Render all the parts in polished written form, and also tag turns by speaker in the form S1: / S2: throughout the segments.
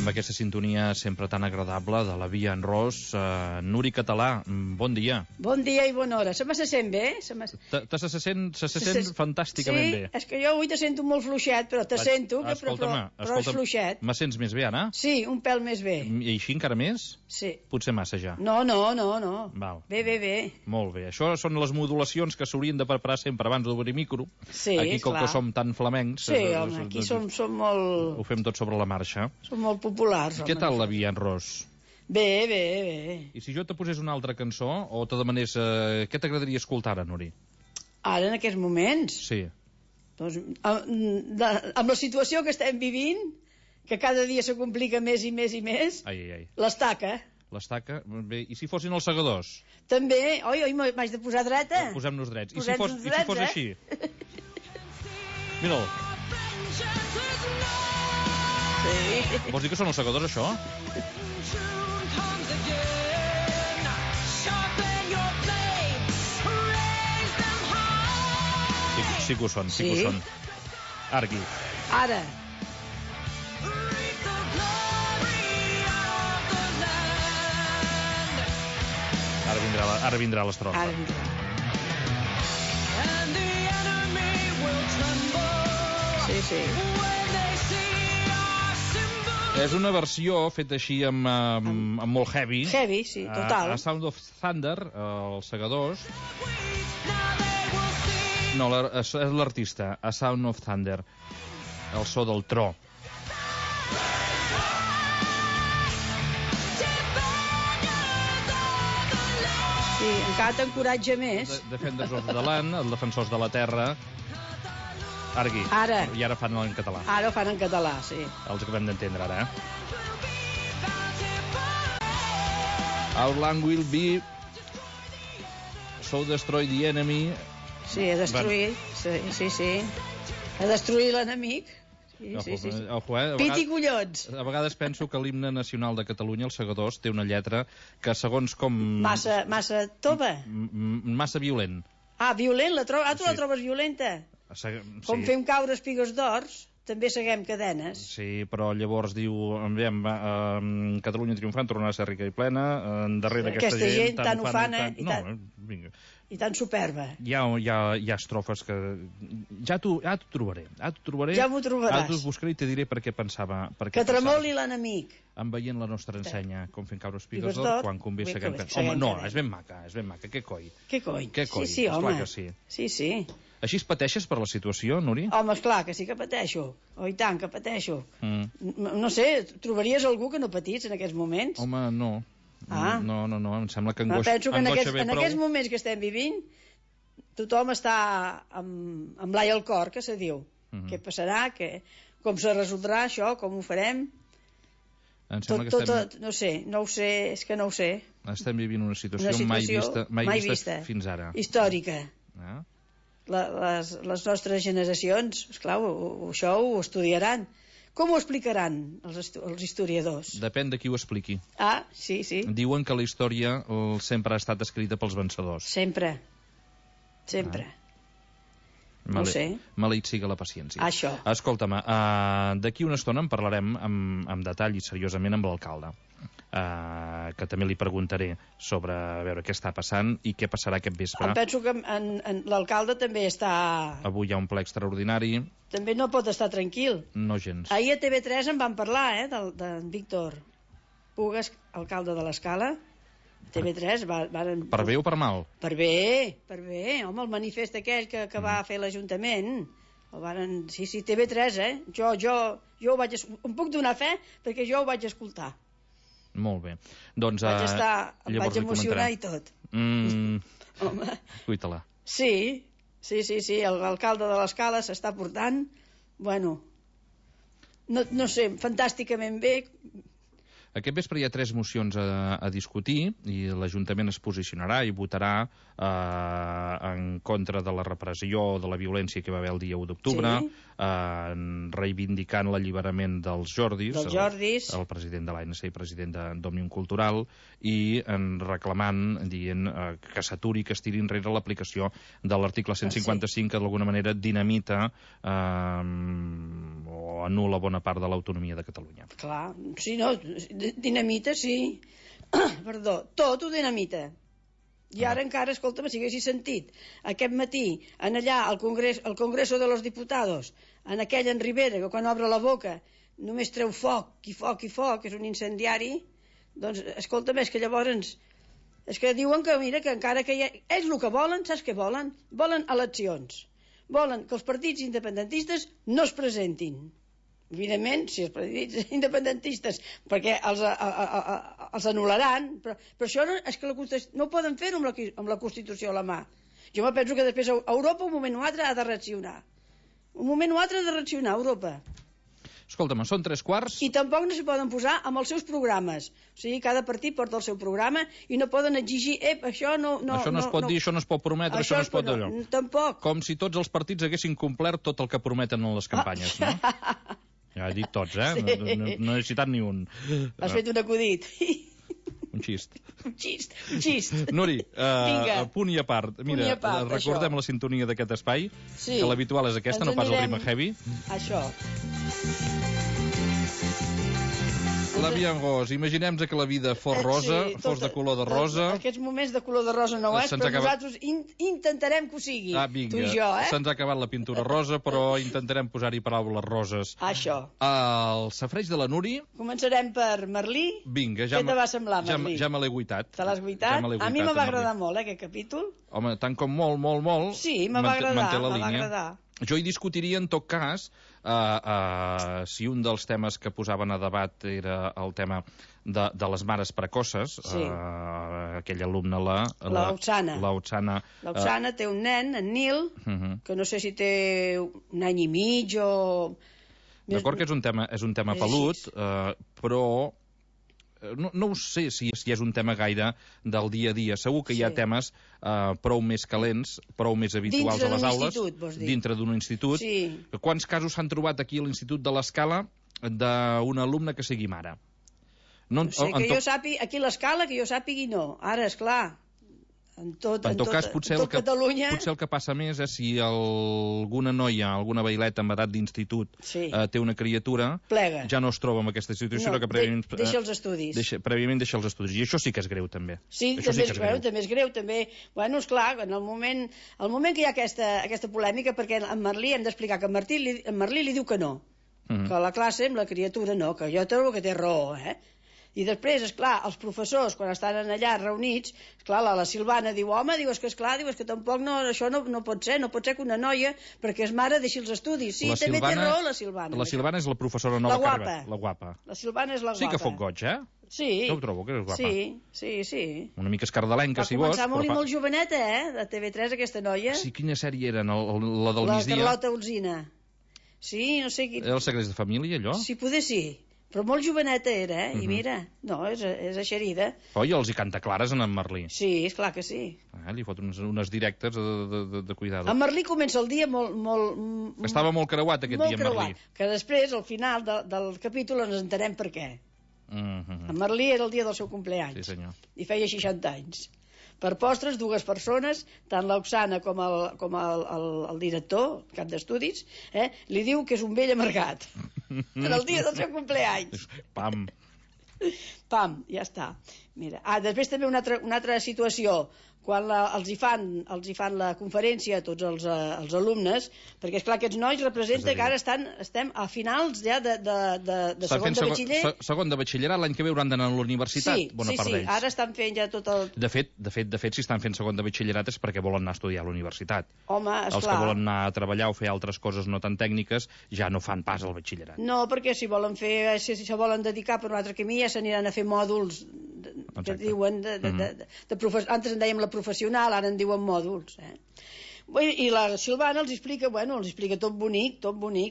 S1: amb aquesta sintonia sempre tan agradable de la Via en Ros. Nuri Català, bon dia.
S2: Bon dia i bona hora. Se sent bé? Se
S1: sent fantàsticament bé.
S2: Sí, és que jo avui te sento molt fluixet, però te sento, però és fluixet.
S1: Me sents més bé ara?
S2: Sí, un pèl més bé.
S1: I així encara més?
S2: Sí.
S1: Potser massa ja.
S2: No.
S1: Val.
S2: Bé.
S1: Molt bé. Això són les modulacions que s'haurien de preparar sempre abans d'obrir micro.
S2: Sí,
S1: aquí, com
S2: clar.
S1: que som tan flamencs...
S2: Sí, home, aquí som molt...
S1: Ho fem tot sobre la marxa.
S2: Som molt populars, home.
S1: Què tal la Via en Ros?
S2: Bé.
S1: I si jo te posés una altra cançó, o te demanés... què t'agradaria escoltar ara, Nuri?
S2: Ara, en aquests moments?
S1: Sí.
S2: Doncs, amb la situació que estem vivint, que cada dia se complica més i més, l'estaca.
S1: L'estaca? Bé, i si fossin els segadors?
S2: També, m'haig de posar dreta?
S1: Posem-nos drets. I si fos així? Mira'l.
S2: Sí.
S1: Vols dir que són els segadors, això? Sí que ho són, sí que ho són. Argui.
S2: Ara.
S1: Ara vindrà l'estrofa.
S2: Ara vindrà. Sí.
S1: És una versió feta així amb molt heavy.
S2: Heavy, sí, total.
S1: A Sound of Thunder, els segadors... No, és l'artista, A Sound of Thunder, el so del tro.
S2: Sí, encara t'encoratja més.
S1: Defenders of the Land, els defensors de la terra. Argui.
S2: Ara.
S1: I ara fan en català.
S2: Ara ho fan en català, sí.
S1: Els acabem d'entendre, ara, Our land will be so destroy the enemy.
S2: Sí, a destruir. Sí. A destruir l'enemic. Sí.
S1: Ojo,
S2: Pit i collons.
S1: A vegades penso que l'himne nacional de Catalunya, els segadors, té una lletra que segons com...
S2: Massa tova.
S1: Massa violent.
S2: Violent? Tu la trobes violenta?
S1: Sí.
S2: Com fem caure espigues d'ors, també seguem cadenes.
S1: Sí, però llavors diu, Catalunya triomfant tornarà a ser rica i plena, darrere aquesta gent
S2: tan ufana
S1: i
S2: tan superba.
S1: Hi ha estrofes que... Ja t'ho trobaré.
S2: Ja m'ho trobaràs.
S1: Ara t'ho buscaré i te diré per què pensava...
S2: Que tremoli l'enemic.
S1: En veient la nostra ensenya, com fent caure espigues d'or, quan convé seguem... Home, no, és ben maca, què coi?
S2: Què coi?
S1: Sí,
S2: home.
S1: Que sí.
S2: Sí.
S1: Així es pateixes per la situació, Nuri?
S2: Home, esclar, que sí que pateixo. I tant, que pateixo. No sé, trobaries algú que no patís en aquests moments?
S1: Home, no. No, em sembla que
S2: penso que en aquests moments que estem vivint tothom està amb l'ai al cor, que se diu. Què passarà, com se resoldrà això, com ho farem? No ho sé, és que no ho sé.
S1: Estem vivint una situació mai vista fins ara.
S2: Històrica. Les nostres generacions, esclar, això ho estudiaran. Com ho explicaran els historiadors?
S1: Depèn de qui ho expliqui.
S2: Sí.
S1: Diuen que la història sempre ha estat escrita pels vencedors.
S2: Sempre. No ho sé.
S1: Maleït siga la paciència.
S2: Això.
S1: Escolta'm, d'aquí una estona en parlarem amb detall i seriosament amb l'alcalde. Que també li preguntaré sobre a veure què està passant i què passarà aquest vespre.
S2: Em penso que l'alcalde també està...
S1: Avui hi ha un ple extraordinari.
S2: També no pot estar tranquil.
S1: No gens.
S2: Ahir a TV3 en van parlar, d'en Víctor Pugas, alcalde de l'Escala. TV3 varen...
S1: Per bé o per mal?
S2: Per bé. Home, el manifest aquell que va fer l'Ajuntament. Sí, TV3, Jo ho vaig... Em puc donar fe perquè jo ho vaig escoltar.
S1: Molt bé. Doncs,
S2: em vaig emocionar i tot. Home.
S1: Cuita-la.
S2: Sí, l'alcalde de l'Escala s'està portant, no sé, fantàsticament bé.
S1: Aquest vespre hi ha 3 mocions a discutir i l'Ajuntament es posicionarà i votarà en contra de la repressió, de la violència que va haver el dia 1 d'octubre, reivindicant l'alliberament dels Jordis, el president de l'ANC i president d'Òmnium Cultural, i reclamant, dient que s'aturi, que es tiri enrere l'aplicació de l'article 155, que d'alguna manera dinamita o anul·la bona part de l'autonomia de Catalunya.
S2: Clar, sí, no, dinamita, sí. Perdó, tot ho dinamita. I ara encara, escolta'm, si haguessis sentit aquest matí, en allà, al Congreso de los Diputados, en aquell en Rivera, que quan obre la boca només treu foc i foc i foc, és un incendiari, doncs, escolta'm, és que llavors... És que diuen que, mira, que encara que hi ha... Ells el que volen, saps què volen? Volen eleccions. Volen que els partits independentistes no es presentin. Evidentment, si els partits independentistes, perquè els anul·laran, però això no, és que no poden fer-ho amb la Constitució a la mà. Jo me penso que després Europa un moment o altre ha de reaccionar. Un moment o altre ha de reaccionar Europa.
S1: Escolta'm, són 3:15.
S2: I tampoc no s'hi poden posar amb els seus programes. O sigui, cada partit porta el seu programa i no poden exigir, això no...
S1: Això no es pot dir, això no es pot prometre, això no es pot d'allò.
S2: Tampoc.
S1: Com si tots els partits haguessin complert tot el que prometen en les campanyes, no? Ja he dit tots,
S2: Sí.
S1: No he citat ni un.
S2: Has fet un acudit.
S1: Un xist.
S2: Un xist.
S1: Nuri, punt i a part. Mira, recordem
S2: això.
S1: La sintonia d'aquest espai,
S2: sí.
S1: Que l'habitual és aquesta, no pas el Rima Heavy.
S2: Això.
S1: La Viangós, imaginem que la vida fos rosa, fos de color de rosa.
S2: Aquests moments de color de rosa no és, però nosaltres intentarem que ho sigui.
S1: Vinga,
S2: tu i jo,
S1: se'ns ha acabat la pintura rosa, però intentarem posar-hi paraules roses.
S2: Això.
S1: El safreig de la Nuri...
S2: Començarem per Merlí.
S1: Vinga,
S2: què te va semblar, Merlí?
S1: Ja me l'he guitat.
S2: Te l'has guitat? A mi me va agradar molt, aquest capítol.
S1: Home, tant com molt,
S2: sí, me va agradar.
S1: Jo hi discutiria, en tot cas, si un dels temes que posaven a debat era el tema de les mares precoces, aquell alumne,
S2: l'Otsana. L'Otsana té un nen, en Nil, que no sé si té un any i mig o...
S1: D'acord que és un tema pelut, però... No ho sé si és un tema gaire del dia a dia. Segur que hi ha temes prou més calents, prou més habituals a les aules. Dintre d'un institut.
S2: Sí.
S1: Quants casos s'han trobat aquí a l'Institut de l'Escala d'un alumne que sigui mare?
S2: No sé, que jo sàpiga, aquí a l'Escala, que jo sàpigui no. Ara, esclar, en tot Catalunya...
S1: Potser el que passa més és si alguna noia, alguna baileta amb edat d'institut té una criatura,
S2: plega.
S1: Ja no es troba en aquesta situació,
S2: que prèviament deixa els estudis.
S1: Prèviament deixa els estudis. I això sí que és greu, també.
S2: Sí, també és greu. Bueno, esclar, en el moment que hi ha aquesta polèmica, perquè en Merlí hem d'explicar que en Merlí li diu que no, que a la classe amb la criatura no, que jo trobo que té raó, I després, esclar, els professors, quan estan allà reunits, esclar, la Silvana diu, home, és que tampoc això no pot ser que una noia, perquè és mare, deixi els estudis. Sí, també té raó la Silvana.
S1: La Silvana és la professora nova que ha arribat. La guapa.
S2: La Silvana és la guapa.
S1: Sí que fot goig,
S2: Sí.
S1: Jo ho trobo, que és guapa.
S2: Sí.
S1: Una mica escardalenca, si vols.
S2: Va començar molt joveneta, de TV3, aquesta noia.
S1: Sí, quina sèrie era? La del migdia?
S2: La Carlota Olsina. Sí, no sé...
S1: Era els secrets de família, allò?
S2: Sí, poder sí. Però molt joveneta era, I mira, no, és eixerida.
S1: I els hi canta clares en Merlí.
S2: Sí, és clar que sí.
S1: Li fot unes directes de cuidado.
S2: En Merlí comença el dia molt...
S1: Estava molt creuat aquest dia, en Merlí.
S2: Que després, al final del capítol, ens entenem per què. En Merlí era el dia del seu cumpleaños.
S1: Sí, senyor.
S2: I feia 60 anys. Per postres, 2 persones, tant l'Oxana com el director, cap d'estudis, li diu que és un vell amargat. En el dia del seu cumpleaños.
S1: Pam,
S2: ja està. Mira. Després també una altra situació, quan els hi fan la conferència a tots els alumnes, perquè, esclar, aquests nois representen que ara estem a finals ja de segon de batxiller.
S1: Segon de batxillerat, l'any que ve hauran d'anar a la universitat, bona part d'ells.
S2: Sí, ara estan fent ja tot el...
S1: De fet, si estan fent segon de batxillerat és perquè volen anar a estudiar a la universitat.
S2: Home, esclar.
S1: Els que volen anar a treballar o fer altres coses no tan tècniques ja no fan pas al batxillerat.
S2: No, perquè si se volen dedicar per un altre camí ja s'aniran a fer mòduls que diuen antes en dèiem la professional, ara en diuen mòduls. I la Silvana els explica tot bonic,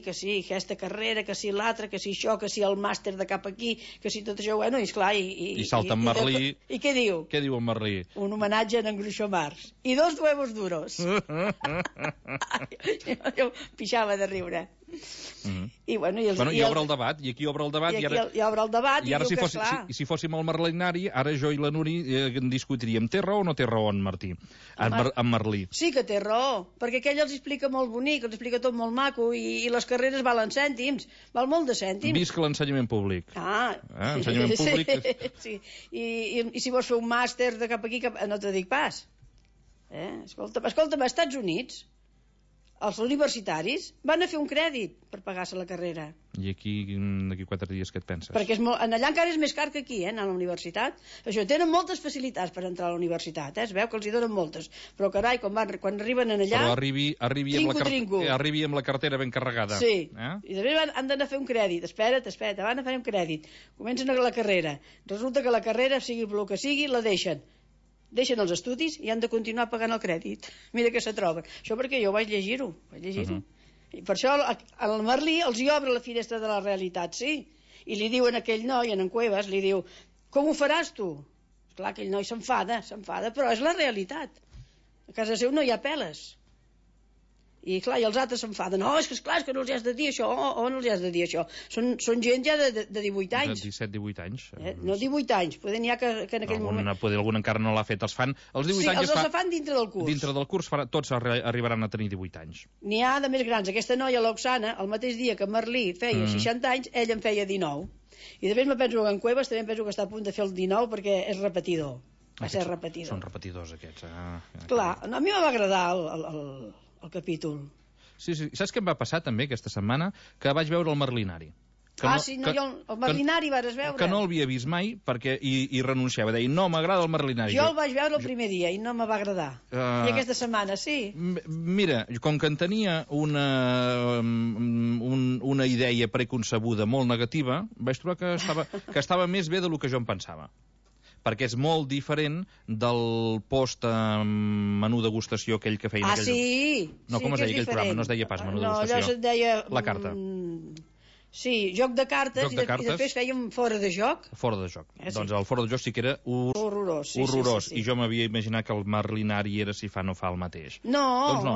S2: que sí, aquesta carrera, que sí l'altra, que sí això, que sí el màster de cap aquí, que sí tot això, i esclar...
S1: I salta en Merlí...
S2: I què diu?
S1: Què diu en Merlí?
S2: Un homenatge a en Groucho Marx. I 2 huevos duros. Jo pixava de riure. I
S1: obre el debat, i aquí obre el debat,
S2: i obre el debat, i
S1: ara
S2: diu que clar...
S1: si fóssim al Merlinari, ara jo i la Nuri discutiríem, té raó o no té raó en Martí, en Merlí?
S2: Sí que té raó, perquè aquell els explica molt bonic, els explica tot molt maco, i les carreres valen cèntims, val molt de cèntims.
S1: Visca l'ensenyament públic. Ensenyament públic...
S2: Sí. I si vols fer un màster de cap aquí, no te dic pas. Escolta'm, als Estats Units, els universitaris van a fer un crèdit per pagar-se la carrera.
S1: I aquí, d'aquí 4 dies, què et penses?
S2: Perquè allà encara és més car que aquí, anar a la universitat. Això, tenen moltes facilitats per entrar a la universitat, es veu que els hi donen moltes. Però, carai, quan arriben allà...
S1: Però arribi amb la cartera ben carregada.
S2: Sí, i després han d'anar a fer un crèdit. Espera't, van a fer un crèdit. Comencen la carrera. Resulta que la carrera, sigui el que sigui, la deixen els estudis i han de continuar pagant el crèdit. Mira que se troben. Això perquè jo vaig llegir-ho. I per això el Merlí els hi obre la finestra de la realitat, sí. I li diuen a aquell noi, en Cuevas, li diu, com ho faràs tu? Esclar, aquell noi s'enfada, però és la realitat. A casa seu no hi ha peles. I clar, i els altres s'enfaden. No, és que no els has de dir això, no els has de dir això. Són gent ja de 18 anys.
S1: De 17-18 anys.
S2: No, 18 anys. Poder n'hi ha que en aquell moment...
S1: Algun encara no l'ha fet. Els fan... Els 18 anys
S2: els fan dintre del curs.
S1: Dintre del curs tots arribaran a tenir 18 anys.
S2: N'hi ha de més grans. Aquesta noia, l'Oxana, el mateix dia que Merlí feia 60 anys, ell en feia 19. I després me penso que en Cuevas també penso que està a punt de fer el 19 perquè és repetidor. Va ser repetidor.
S1: Són repetidors aquests.
S2: Clar, a mi m'va agradar el capítol.
S1: Sí, saps què em va passar també aquesta setmana? Que vaig veure el Merlinari.
S2: El Merlinari vas veure.
S1: Que no l'havia vist mai i renunciava. Deia, no, m'agrada el Merlinari.
S2: Jo el vaig veure el primer dia i no me va agradar. I aquesta setmana, sí.
S1: Mira, com que en tenia una idea preconcebuda molt negativa, vaig trobar que estava més bé del que jo em pensava. Perquè és molt diferent del post-menú degustació aquell que feien...
S2: Sí!
S1: No, com es deia aquell programa? No es deia pas menú degustació.
S2: No, allò es deia...
S1: La carta.
S2: Sí, joc de cartes, i després fèiem fora de joc.
S1: Fora de joc. Doncs el fora de joc sí que era horrorós. I jo m'havia imaginat que el Merlinari era si fa no fa el mateix.
S2: No,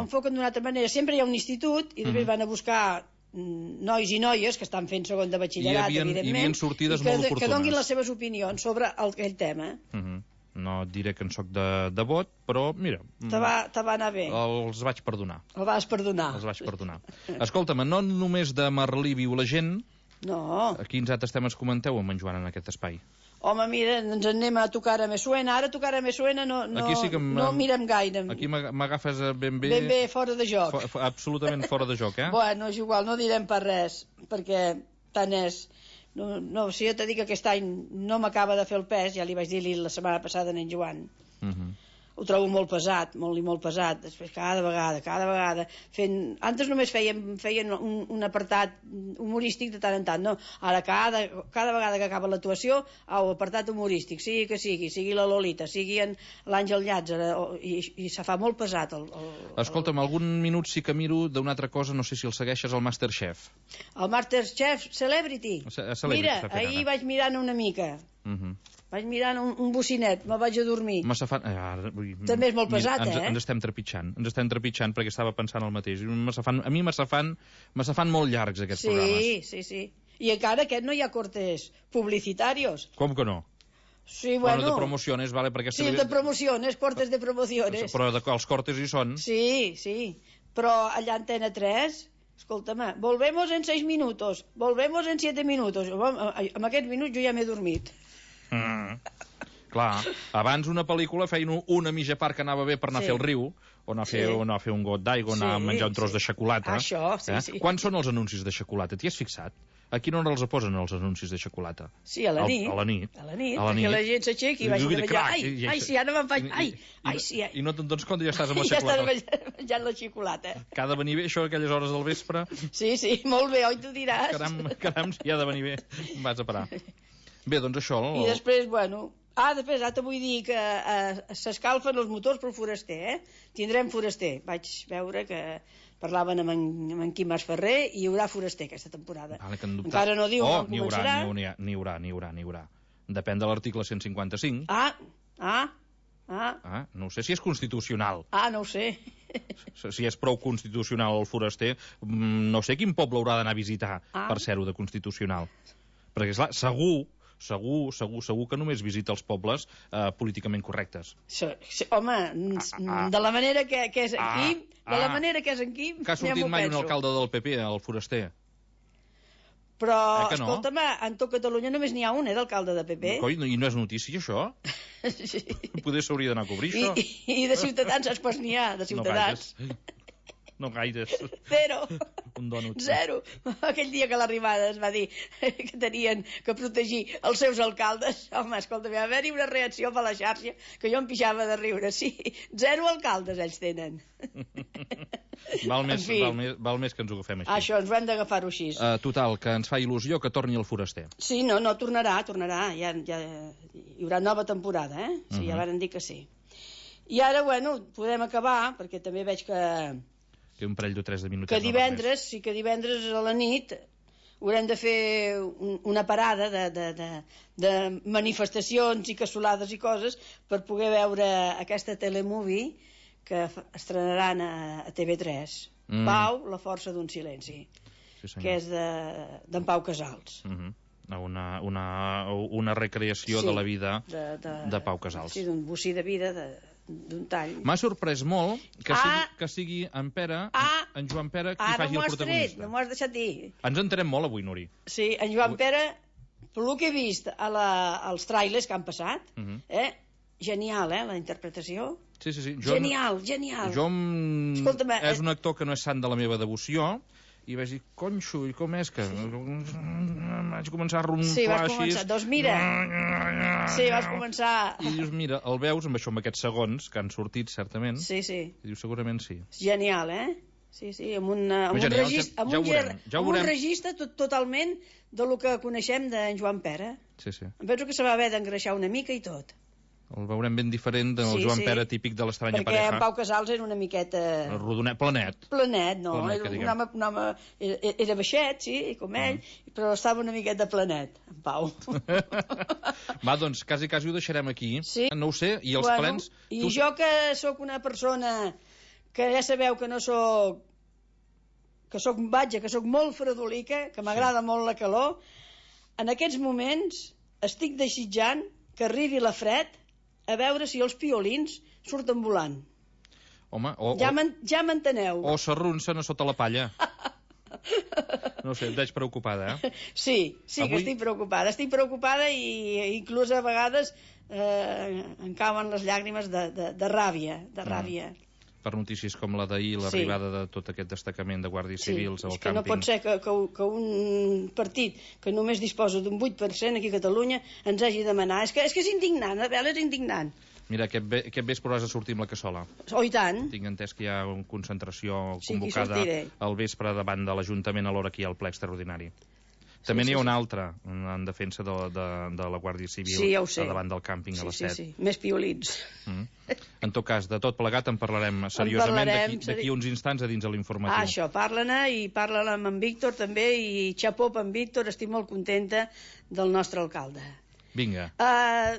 S2: enfoquen d'una altra manera. Sempre hi ha un institut i després van a buscar nois i noies que estan fent segon de batxillerat, evidentment,
S1: hi havia sortides molt oportunes.
S2: Que donguin les seves opinions sobre aquell tema.
S1: No et diré que en soc de vot, però mira...
S2: Te va anar bé.
S1: Els vaig perdonar.
S2: El vas perdonar.
S1: Els vaig perdonar. Escolta'm, no només de Merlí viu la gent...
S2: No.
S1: Quins altres temes comenteu amb en Joan en aquest espai?
S2: Home, mira, ens anem a tocar a Me Suena. Ara tocar a Me Suena no mirem gaire.
S1: Aquí m'agafes ben bé...
S2: Ben bé fora de joc.
S1: Absolutament fora de joc,
S2: Bueno, és igual, no direm per res, perquè tant és... No, si jo t'he dit que aquest any no m'acaba de fer el pes, ja li vaig dir la setmana passada a en Joan. Ho trobo molt pesat, molt pesat. Després cada vegada antes només feien un apartat humorístic de tant en tant, no? Ara cada vegada que acaba l'actuació, apartat humorístic, sigui la Lolita, sigui l'Àngel Llàtzer, i se fa molt pesat.
S1: Escolta'm, algun minut sí que miro d'una altra cosa, no sé si el segueixes, el Masterchef.
S2: El Masterchef Celebrity? Mira, ahir vaig mirant una mica. Vaig mirant un bocinet, me'l vaig a dormir. També és molt pesat,
S1: Ens estem trepitjant perquè estava pensant el mateix. A mi me se fan molt llargs aquests programes.
S2: Sí. I encara aquest no hi ha cortes publicitarios.
S1: Com que no?
S2: Sí, bueno...
S1: de promociones, vale, perquè...
S2: Sí, de promociones, cortes de promociones.
S1: Però els cortes hi són.
S2: Sí. Però allà Antena 3... Escolta'm, volvemos en 6 minutos, volvemos en 7 minutos. En aquests minuts jo ja m'he dormit.
S1: Clar, abans una pel·lícula feien una mitja part que anava bé per anar a fer el riu, o anar a fer un got d'aigua, anar a menjar un tros de xocolata.
S2: Això, sí.
S1: Quants són els anuncis de xocolata? T'hi has fixat? A quina hora els posen, els anuncis de xocolata?
S2: Sí, a la nit.
S1: A la nit,
S2: perquè la gent s'aixequi i vagi a menjar. Ai, sí, ara me'n faig... Ai, sí.
S1: I no te'n dones compte, ja estàs amb la xocolata.
S2: Ja estàs menjant la xocolata.
S1: Que ha de venir bé, això, a aquelles hores del vespre.
S2: Sí, molt bé, oi, tu diràs.
S1: Caram, si ha de venir bé, vas a parar. Bé, doncs això...
S2: I després, bueno, Després, ara te vull dir que s'escalfen els motors pel foraster, Tindrem foraster. Vaig veure que parlaven amb en Quim Masferrer i hi haurà foraster aquesta temporada.
S1: Vale, que
S2: encara no diu quan començarà.
S1: N'hi haurà. Depèn de l'article 155. No sé si és constitucional.
S2: No ho sé.
S1: Si és prou constitucional el foraster, no sé quin poble haurà d'anar a visitar per ser-ho de constitucional. Perquè, esclar, segur que només visita els pobles políticament correctes.
S2: Home, de la manera que és aquí, en Quim,
S1: que ha sortit mai un alcalde del PP, el foraster.
S2: Però, escolta'm, en tot Catalunya només n'hi ha un, d'alcalde de PP.
S1: I no és notícia, això?
S2: Sí.
S1: Poder s'hauria d'anar a cobrir, això.
S2: I de Ciutadans, saps n'hi ha, de Ciutadans.
S1: No gaires.
S2: Zero.
S1: Un dònut.
S2: Zero. Aquell dia que l'arribada es va dir que tenien que protegir els seus alcaldes. Home, escolta, va haver-hi una reacció per la xarxa que jo em pixava de riure. Sí, 0 alcaldes ells tenen.
S1: Val més que ens ho agafem així.
S2: Això, ens ho hem d'agafar-ho així.
S1: Total, que ens fa il·lusió que torni el foraster.
S2: Sí, no, tornarà. Ja hi haurà nova temporada, Sí, ja varen dir que sí. I ara, podem acabar, perquè també veig que
S1: un parell o 3 de minuts.
S2: Que divendres a la nit haurem de fer una parada de manifestacions i cassolades i coses per poder veure aquesta telemovie que estrenaran a TV3. Pau, la força d'un silenci, que és d'en Pau Casals.
S1: Una recreació de la vida de Pau Casals.
S2: Sí, d'un bocí de vida d'un tall.
S1: M'ha sorprès molt que sigui en Pere, en Joan Pere, qui faci el protagonista.
S2: No m'ho has deixat dir.
S1: Ens entenem molt avui, Nuri.
S2: Sí, en Joan Pere, pel que he vist als trailers que han passat, genial, la interpretació.
S1: Sí.
S2: Genial.
S1: És un actor que no és sant de la meva devoció, i vaig dir, conxo, i com és que... Vaig començar a ronflar així...
S2: Sí, vas començar, doncs mira... Sí, vas començar...
S1: I dius, mira, el veus amb aquests segons que han sortit, certament.
S2: Sí.
S1: I dius, segurament sí.
S2: Genial, Sí, amb un registre totalment del que coneixem d'en Joan Pere.
S1: Sí.
S2: Em penso que se va haver d'engreixar una mica i tot.
S1: El veurem ben diferent del Joan Pere típic de l'Estranya Pareja.
S2: Perquè en Pau Casals era una miqueta...
S1: Rodonet, planet.
S2: No, un home era baixet, sí, com ell, però estava una miqueta planet, en Pau.
S1: Va, doncs, quasi ho deixarem aquí.
S2: Sí.
S1: No ho sé, i els plens...
S2: I jo que sóc una persona que ja sabeu que no sóc... que sóc molt fredolica, que m'agrada molt la calor, en aquests moments estic desitjant que arribi la fred a veure si els piolins surten volant.
S1: Home,
S2: ja m'enteneu.
S1: O s'arronsen a sota la palla. No sé, et veig preocupada,
S2: Sí, que estic preocupada. Estic preocupada i inclús a vegades em cauen les llàgrimes de ràbia,
S1: Per notícies com la d'ahir, l'arribada de tot aquest destacament de guàrdies civils al càmping.
S2: És que no pot ser que un partit que només disposa d'un 8% aquí a Catalunya ens hagi de demanar. És que és indignant, és indignant.
S1: Mira, aquest vespre has de sortir amb la cassola.
S2: Oh, i tant.
S1: Tinc entès que hi ha una concentració convocada al vespre davant de l'Ajuntament a l'hora que hi ha el ple extraordinari. També n'hi ha una altra en defensa de la Guàrdia Civil davant del càmping a les 7.
S2: Sí, més piolins.
S1: En tot cas, de tot plegat en parlarem seriosament d'aquí uns instants a dins de l'informatiu.
S2: Això, parla-ne i parla-ne amb en Víctor també, i xapó per en Víctor, estic molt contenta del nostre alcalde.
S1: Vinga.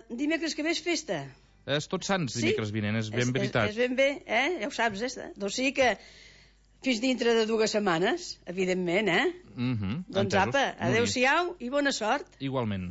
S2: Dimecres que ve és festa.
S1: És Tots Sants dimecres vinent, és ben veritat.
S2: És ben bé, ja ho saps, Doncs sí que fins dintre de 2 setmanes, evidentment, Doncs apa, adeu-siau i bona sort.
S1: Igualment.